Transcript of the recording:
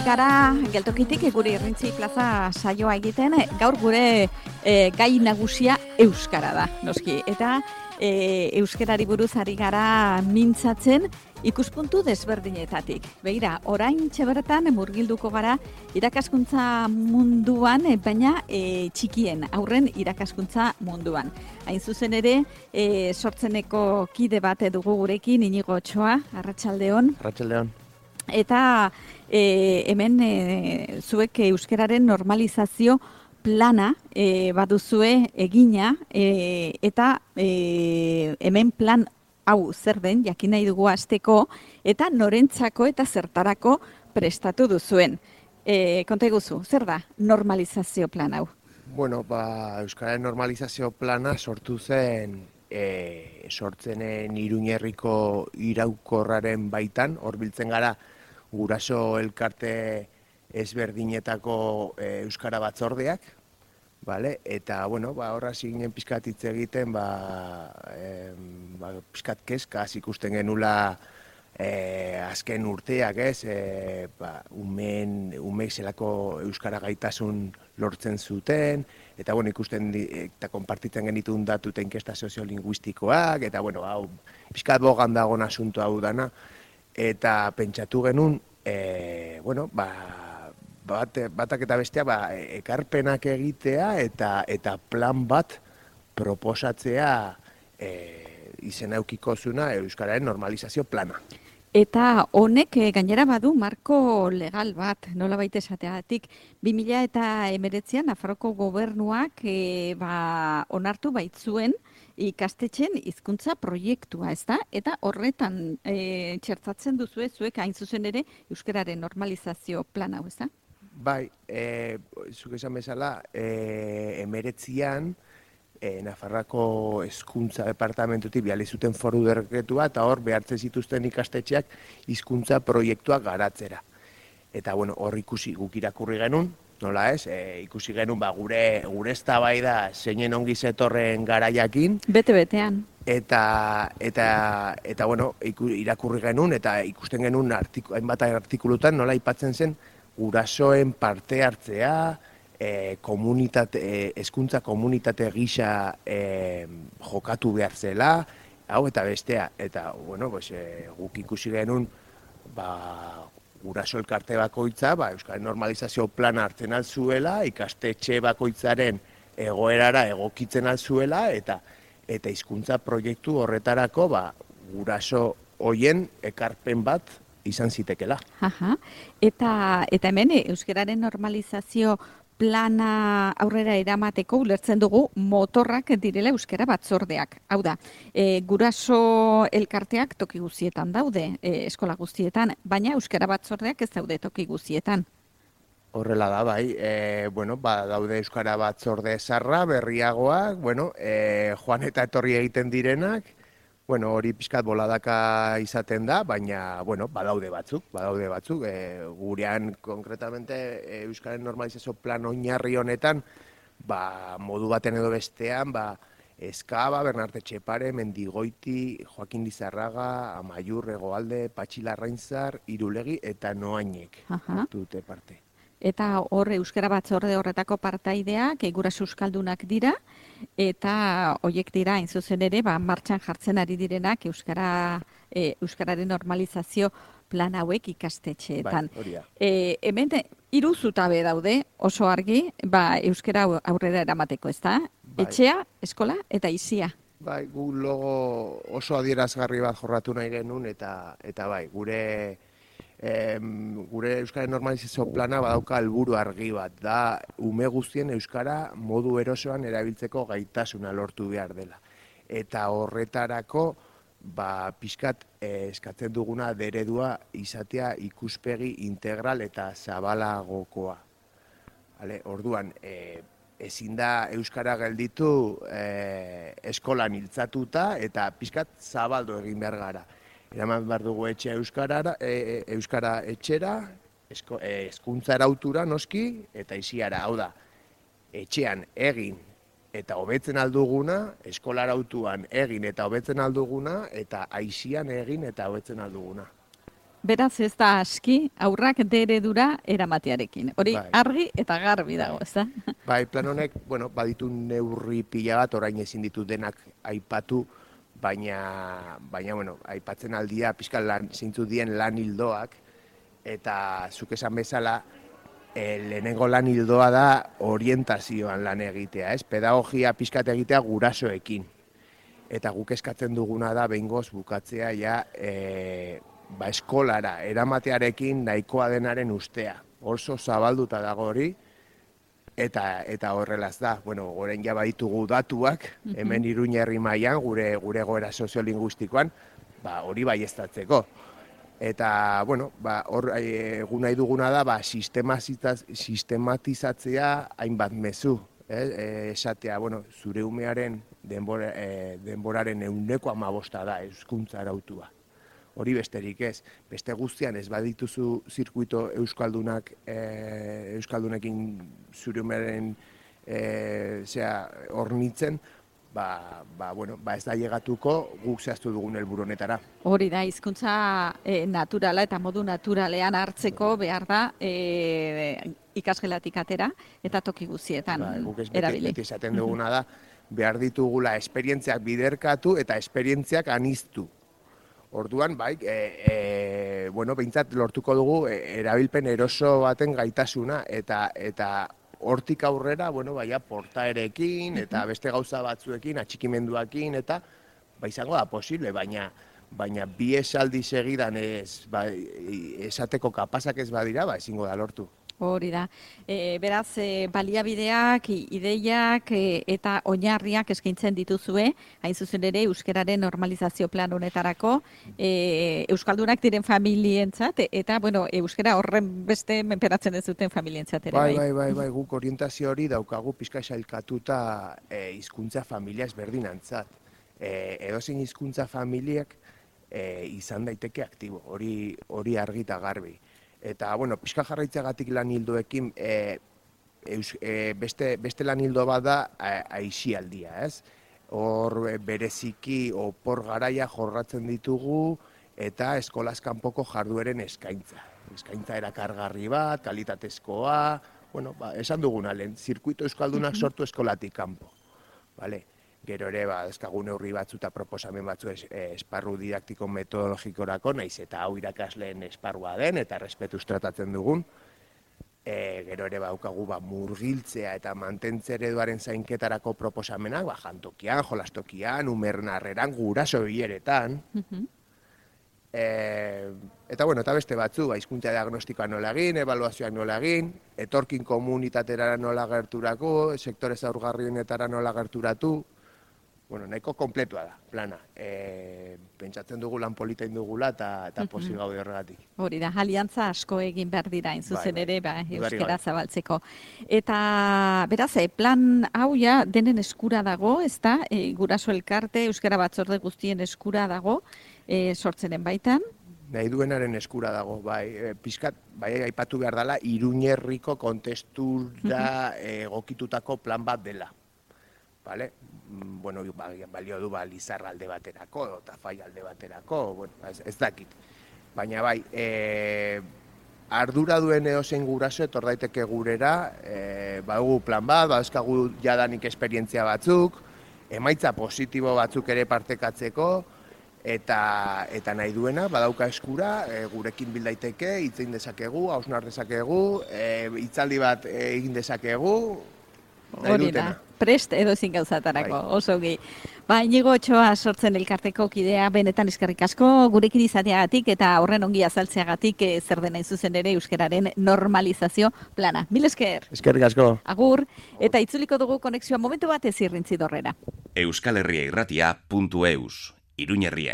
gara geltokitik gure Irrintzi plaza saioa egiten, gaur gure gai nagusia euskara da, noski. Eta euskarari buruz ari gara mintzatzen ikuspuntu desberdinetatik. Begira, oraintxe bertan murgilduko gara irakaskuntza munduan, baina txikien, aurren irakaskuntza munduan. Hain zuzen ere, sortzeneko kide bat dugu gurekin, Inigo Otsoa, arratsaldeon. Arratsaldeon. Eta hemen zuek euskararen normalizazio plana baduzue egina, eta hemen plan hau zer den, jakin nahi dugu hasteko, eta norentzako eta zertarako prestatu duzuen. Konta eguzu, zer da normalizazio plan hau? Bueno, euskararen normalizazio plana sortu zen sortzenen Iruñerriko iraukorraren baitan, hor biltzen gara guraso elkarte ezberdinetako euskara batzordeak, vale? Eta, bueno, horra ziginen pizkat hitz egiten, pizkat kezkaz ikusten genula azken urteak, ez? Umeek zelako euskara gaitasun lortzen zuten, eta, bueno, ikusten eta konpartitzen genitun datu eta inkesta soziolinguistikoak, eta, bueno, hau, pizkat bogan dagoen asunto hau dana, eta pentsatu genuen, batak eta bestea ekarpenak egitea eta plan bat proposatzea izena eukiko zuna euskararen normalizazio plana. Eta honek gainera badu marko legal bat, nolabait esateagatik, 2019an Nafarroako gobernuak onartu baitzuen ikastetxen hizkuntza proiektua, ezta? Eta horretan txertatzen duzue zuek hain zuzen ere euskararen normalizazio plan hau, ezta? Bai, zuk esan bezala, 19an Nafarroako hezkuntza departamentutik bidali zuten foru dekretua eta hor behartzen zituzten ikastetxeak hizkuntza proiektuak garatzera. Eta bueno, hor ikusi guk irakurri genuen, nola ez? Ikusi genuen gure eztabaida zeinen ongi zetorren garaiakin. Bete-betean. Eta bueno, irakurri genuen eta ikusten genuen hainbat artikulutan nola aipatzen zen gurasoen parte hartzea, hezkuntza komunitate gisa jokatu behar zela, hau eta bestea. Eta, bueno, guk ikusi genuen guraso elkarte bakoitza, euskaren normalizazio plana hartzen alzuela, ikastetxe bakoitzaren egoerara egokitzen alzuela, eta hizkuntza proiektu horretarako guraso hoien ekarpen bat izan zitekela. Eta hemen euskararen normalizazio plana aurrera eramateko ulertzen dugu motorrak direla euskara batzordeak. Hau da, guraso elkarteak toki guztietan daude, eskola guztietan, baina euskara batzordeak ez daude toki guztietan. Horrela da, bai. Daude euskara batzorde zarra, berriagoak, joan eta etorri egiten direnak, hori pixkat boladaka izaten da, baina, badaude batzuk. Gurean, konkretamente, euskaren normalizazio plan oinarri honetan, modu baten edo bestean, Eskaba, Bernarte Txepare, Mendigoiti, Joakin Lizarraga, Amaiur, Hegoalde, Patxi Larrainzar, Irulegi eta Noainek dute parte. Eta hor euskara batzorde horretako partaideak guraso euskaldunak dira, eta horiek dira, hain zuzen ere, martxan jartzen ari direnak euskararen normalizazio plan hauek ikastetxeetan. Hemen 3 zutabe daude oso argi, euskara aurrera eramateko, ezta? Etxea, eskola eta aisia. Bai, gu logo oso adierazgarri bat jorratu nahi genuen, eta gure euskaren normalizazio plana badauka helburu argi bat, da ume guztien euskara modu erosoan erabiltzeko gaitasuna lortu behar dela. Eta horretarako, pixkat eskatzen duguna eredua izatea ikuspegi integral eta zabalagokoa. Orduan, ezin da euskara gelditu eskolan iltzatuta eta pixkat zabaldu egin behar gara. Eraman behar dugu euskara etxera, hezkuntza arautura noski, eta isiara, hau da, etxean egin eta hobetzen alduguna, eskola arautuan egin eta hobetzen alduguna, eta aisian egin eta hobetzen alduguna. beraz ez da aski aurrak D-eredura eramatearekin. Hori argi eta garbi dago, ez da? Bai, plan honek, bueno, baditu neurri pila bat, orain ezin ditu denak aipatu, baina bueno, aipatzen aldia pixka zeintzu dien lan hildoak, eta zuk esan bezala, lehenengo lan hildoa da orientazioan lan egitea, ez? Pedagogia pixkat egitea gurasoekin. Eta guk eskatzen duguna da behingoz bukatzea ja eskolara eramatearekin nahikoa denaren ustea. Oso zabalduta dago hori, eta horrelaz da. Bueno, orain ja baditugu datuak, hemen Iruña herri mailan gure egoera soziolinguistikoan, hori baieztatzeko. Eta, bueno, hor egun nahi duguna da, sistematizatzea hainbat mezu. Esatea, bueno, zure umearen denboraren 100% da hezkuntza arautua. Hori besterik ez. Beste guztian ez badituzu zirkuito euskaldunekin zure umearen hornitzen, ez da llegatuko guk zehaztu dugun helburu honetara. Hori da, hizkuntza naturala eta modu naturalean hartzeko behar da ikasgelatik atera eta toki guztietan erabili. Beti esaten duguna da, behar ditugula esperientziak biderkatu eta esperientziak aniztu. Orduan, behintzat lortuko dugu erabilpen eroso baten gaitasuna eta hortik aurrera, portaerekin eta beste gauza batzuekin, atxikimenduakin eta izango da posible, baina bi esaldi segidan esateko kapazak ez badira, ezingo da lortu. Hori da. Beraz, baliabideak, ideiak eta oinarriak eskaintzen dituzue, hain zuzen ere euskararen normalizazio plan honetarako, euskaldunak diren familientzat, eta, euskara horren beste menperatzen ez duten familientzat ere. Bai, guk orientazio hori daukagu pixka sailkatuta hizkuntza familia ezberdinantzat. Edozein hizkuntza familiak izan daiteke aktibo, hori argi eta garbi. Eta, pixka jarraitzagatik lan hildoekin beste lan hildo bat da aisialdia, ez? Hor bereziki opor garaia jorratzen ditugu eta eskolaz kanpoko jardueren eskaintza. Eskaintza erakargarri bat, kalitatezkoa, esan duguna lehen, zirkuito euskaldunak sortu eskolatik kanpo. Gero ere, dezkagun neurri batzu eta proposamen batzu esparru didaktiko metodologikorako, naiz eta hau irakasleen esparrua den eta respetuz tratatzen dugun. Gero ere daukagu murgiltzea eta mantentze ereduaren zainketarako proposamenak, jantokian, jolastokian, umerren harreran, guraso bileretan. Eta beste batzu, hizkuntza diagnostikoa nola egin, ebaluazioak nola egin, etorkin komunitatera nola gerturako, sektore zaurgarrienetara nola gerturatu. Nahiko kompletua da, plana. Pentsatzen dugu lan polita indugula eta pozik gaude horregatik. Hori da, aliantza asko egin behar dira, zuzen ere, euskara zabaltzeko. Eta, beraz, plan hau ja denen eskura dago, ez da, guraso elkarte, euskara batzorde guztien eskura dago, sortzenen baitan. Nahi duenaren eskura dago, pixkat, aipatu behar dela, Iruñerriko kontestura egokitutako plan bat dela. Balio du Lizarra alde baterako, eta Fai alde baterako, ez dakit. Baina ardura duen edozein guraso etor daiteke gurera, badugu plan bat, baduzkagu jadanik esperientzia batzuk, emaitza positibo batzuk ere partekatzeko, eta nahi duena, badauka eskura, gurekin bildaiteke, hitzein dezakegu, hausnar dezakegu, hitzaldi bat egin dezakegu, hori da, prest edozein gauzatarako, oso gi. Inigo Otxoa sortzen elkarteko kidea, benetan eskerrik asko, gurekin izateagatik eta horren ongi azaltzeagatik zer dena zuzen ere euskararen normalizazio plana. Mil esker. Eskerrik asko. Agur, eta itzuliko dugu konexioa momentu bat ez irrintzi dorrera. euskalherriairratia.eus, Iruñerria